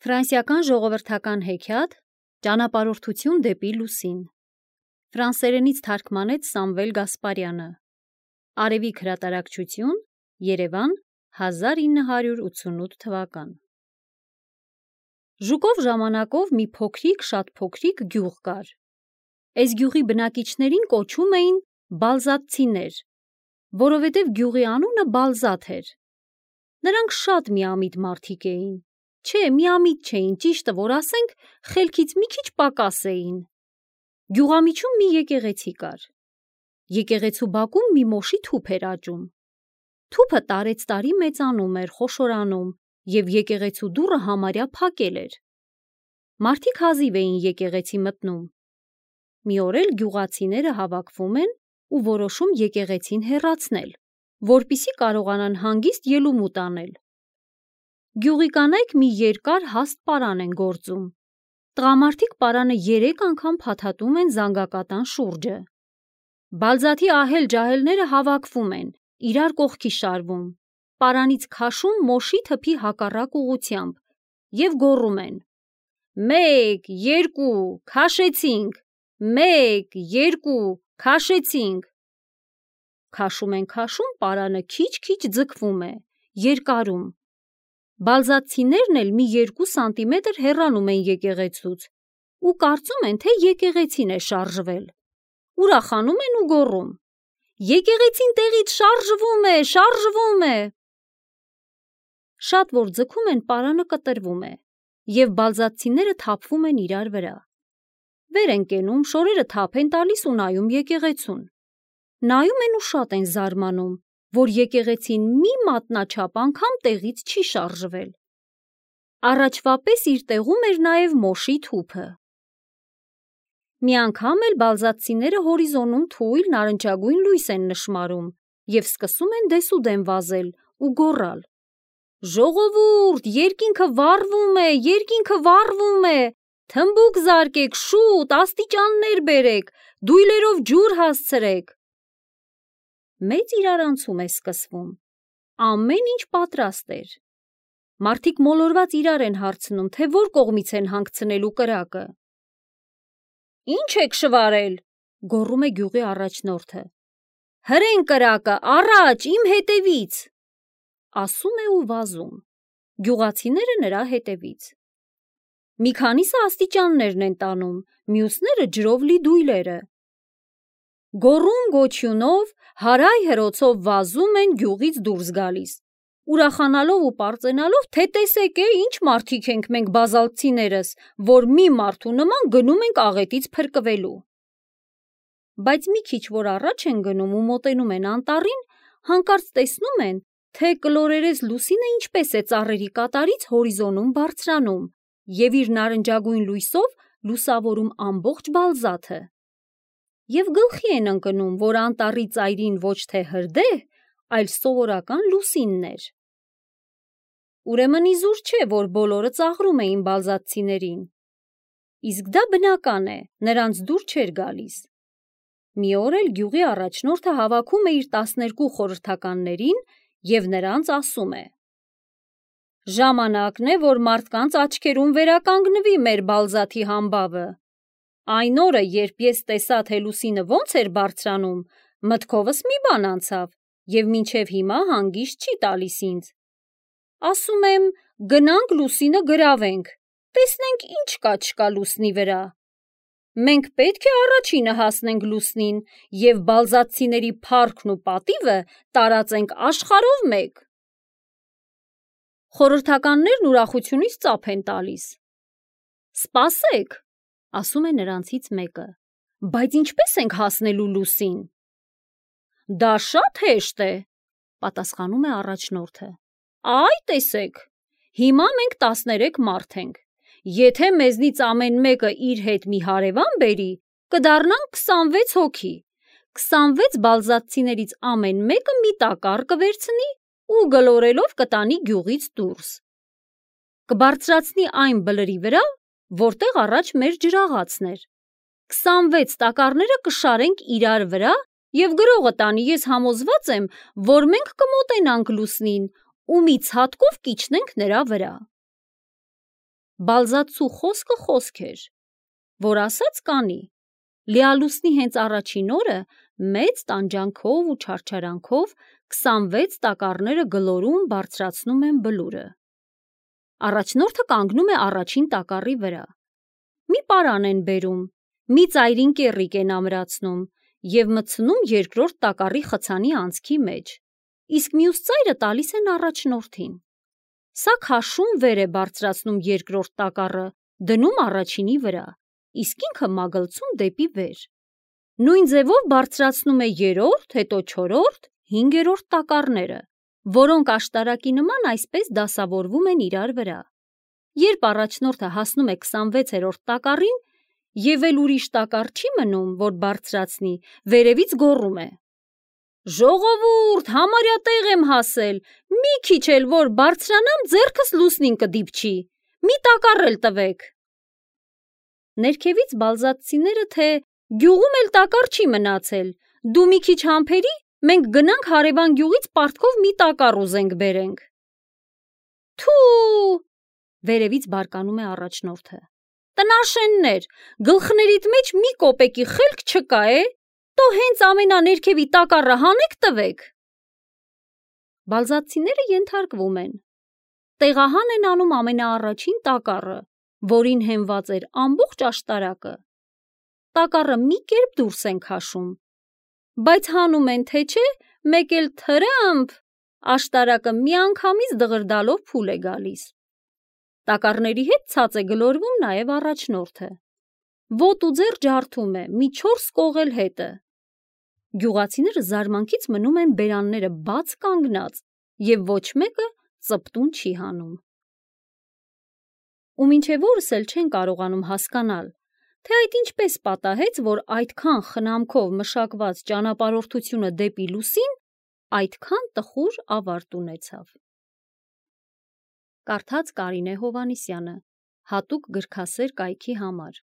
Ֆրանսիական ժողովրդական հեքիաթ «Ճանապարհորդություն դեպի լուսին» ֆրանսերենից թարգմանեց Սամվել Գասպարյանը։ Արևիկ հրատարակչություն, Երևան, 1988 թվական։ Ժուկով ժամանակով մի փոքրիկ, շատ փոքրիկ գյուղ կար։ Այս գյուղի բնակիչներին կոչում էին բալզատցիներ, որովհետև գյուղի անունը Բալզատ էր։ Նրանք շատ միամիտ մարդիկ էին։ Չէ, միամիտ չէին, ճիշտը որ ասենք, խելքից մի քիչ պակաս էին։ Գյուղամիջում մի եկեղեցի կար։ Եկեղեցու բակում մի մոշի թուփ էր աճում։ Թուփը տարեցտարի մեծանում էր, խոշորանում, և եկեղեցու դուռը համարյա փակել էր։ Մարդիկ հազիվ էին եկեղեցի մտնում։ Մի օր էլ գյուղացիները հավաքվում են ու որոշում եկեղեցին հեռացնել, որպեսզի կարողանան հանգիստ ելումուտ անել։ Գյուղի կանայք մի երկար հաստ պարան են գործում։ Տղամարդիկ պարանը 3 անգամ փաթաթում են զանգակատան շուրջը։ Բալզաթի ահել-ջահելները հավաքվում են, իրար կողքի շարվում, պարանից քաշում մոշի թփի հակառակ ուղղությամբ և գոռում են. «Մեկ, երկու, քաշեցինք, մեկ, երկու, քաշեցինք»։ Քաշում են քաշում, պարանը քիչ-քիչ ձգվում է, երկարում։ Բալզատցիներն էլ մի 2 սանտիմետր հեռանում են եկեղեցուց ու կարծում են, թե եկեղեցին է շարժվել։ Ուրախանում են ու գոռում. «Եկեղեցին տեղից շարժվում է, շարժվում է»։ Շատ որ ձգում են, պարանը կտրվում է, և բալզատցիները թափվում են իրար վրա։ Վեր են կենում, շորերը թափ են տալիս ու նայում եկեղեցուն։ Նայում են ու շատ են զարմանում, որ եկեղեցին մի մատնաչափ անգամ տեղից չի շարժվել։ Առաջվա պես իր տեղում էր նաև մոշի թուփը։ Մի անգամ էլ բալզատցիները հորիզոնում թույլ նարնջագույն լույս են նշմարում և սկսում են դեսուդեն վազել ու գոռալ. «Ժողովուրդ, երկինքը վառվում է, երկինքը վառվում է, թմբուկ զարկեք, շուտ, աստիճաններ բերեք, դույլերով ջուր հասցրեք»։ Մեծ իրարանցում է սկսվում։ Ամեն ինչ պատրաստ էր։ Մարդիկ մոլորված իրար են հարցնում, թե որ կողմից են հանգցնելու կրակը։ «Ինչ եք շվարել», գոռում է գյուղի առաջնորդը։ «Հրեն կրակը, առաջ, իմ հետևից», ասում է ու վազում։ Գյուղացիները նրա հետևից։ Մի քանիսը աստիճաններն են տանում, մյուսները ջրով լի դույլերը։ Գոռում-գոչյունով, հարայ-հրոցով վազում են գյուղից դուրս գալիս, ուրախանալով ու պարծենալով, թե տեսեք ինչ մարդիկ ենք մենք բազալտցիներս, որ մի մարդու նման գնում ենք աղետից փրկվելու։ Բայց մի քիչ որ առաջ են գնում ու մոտենում են անտառին, հանկարծ տեսնում են, թե կլորերես լուսինը ինչպես է ծառերի կատարից հորիզոնում բարձրանում և իր նարնջագույն լույսով լուսավորում ամբողջ Բալզաթը։ Եվ գլխի են ընկնում, որ անտառի ծայրին ոչ թե հրդեհ, այլ սովորական լուսինն էր։ Ուրեմն իզուր չէ, որ բոլորը ծաղրում էին բալզատցիներին։ Իսկ դա բնական է, նրանց դուր չէր գալիս։ Մի օր էլ գյուղի առաջնորդը հավաքում է իր 12 խորհրդականներին և նրանց ասում է. «Ժամանակն է, որ մարդկանց աչքերում վերականգնվի մեր Բալզաթի համբավը։ Այն օրը, երբ ես տեսա, թե լուսինը ոնց էր բարձրանում, մտքովս մի բան անցավ և մինչև հիմա հանգիստ չի տալիս ինձ։ Ասում եմ, գնանք լուսինը գրավենք, տեսնենք ինչ կա չկա լուսնի վրա։ Մենք պետք է առաջինը հասնենք լուսնին և բալզատցիների փառքն ու պատիվը տարածենք աշխարհով մեկ»։ Խորհրդականներն ուրախությունից ծափ են տալիս։ «Սպասեք», ասում է նրանցից մեկը, «բայց ինչպես ենք հասնելու լուսին»։ «Դա շատ հեշտ է», պատասխանում է առաջնորդը։ «Այ տեսեք, հիմա մենք 13 մարդ ենք։ Եթե մեզնից ամեն մեկը իր հետ մի հարևան բերի, կդառնանք 26 հոգի։ 26 բալզատցիներից ամեն մեկը մի տակառ կվերցնի ու գլորելով կտանի գյուղից դուրս։ Կբարձրացնի այն բլրի վրա, որտեղ առաջ մեր ջրաղացն էր։ 26 տակառները կշարենք իրար վրա և գրողը տանի, ես համոզված եմ, որ մենք կմոտենանք լուսնին ու մի ցատկով կիջնենք նրա վրա»։ Բալզացու խոսքը խոսք էր, որ ասած կանի։ Լիալուսնի հենց առաջին օրը մեծ տանջանքով ու չարչարանքով 26 տակառները գլորում բարձրացնում են բլուրը։ Առաջնորդը կանգնում է առաջին տակառի վրա։ Մի պարան են բերում, մի ծայրին կեռիկ են ամրացնում և մտցնում երկրորդ տակառի խցանի անցքի մեջ, իսկ մյուս ծայրը տալիս են առաջնորդին։ Սա քաշում վեր է բարձրացնում երկրորդ տակառը, դնում առաջինի վրա, իսկ ինքը մագլցում դեպի վեր։ Նույն ձևով բարձրացնում է երրորդ, հետո չորրորդ, հինգերորդ տակառները, որոնք աշտարակի նման այսպես դասավորվում են իրար վրա։ Երբ առաջնորդը հասնում է 26-րդ տակառին և էլ ուրիշ տակառ չի մնում, որ բարձրացնի, վերևից գոռում է. «Ժողովուրդ, համարյա տեղ եմ հասել, մի քիչ էլ որ բարձրանամ, ձեռքս լուսնին կդիպչի, մի տակառ էլ տվեք»։ Ներքևից բալզատցիները թե «Գյուղում էլ տակառ չի մնացել, դու մի քիչ համբերի, մենք գնանք հարևան գյուղից պարտքով մի տակառ ուզենք բերենք»։ Թու, վերևից բարկանում է առաջնորդը։ Տնաշեններ, գլխներիդ մեջ մի կոպեկի խելք չկա է, տո հենց ամենաներքևի տակառը հանեք տվեք։ Բալզատցիները ենթարկվում են։ Տեղահան են անում ամենաառաջին տակառը, որին հենված էր ամբողջ աշտարակը։ Տակառը մի կերպ դուրս են քաշում, բայց հանում են թե չէ, մեկ էլ թրըմփ, աշտարակը միանգամից դղրդալով փուլ է գալիս։ Տակառների հետ ցած է գլորվում նաև առաջնորդը։ Ոտը ու ձեռ ջարդում է, մի 4 կողել հետը։ Գյուղացիները զարմանքից մնում են բերանները բաց կանգնած և ոչ մեկը ծպտուն չի հանում։ Ու մինչև օրս էլ չեն կարողանում հասկանալ, թե այդ ինչպես պատահեց, որ այդքան խնամքով մշակված ճանապարհորդությունը դեպի լուսին այդքան տխուր ավարտ ունեցավ։ Կարդաց Կարինե Հովհաննիսյանը, հատուկ գրքասեր կայքի համար։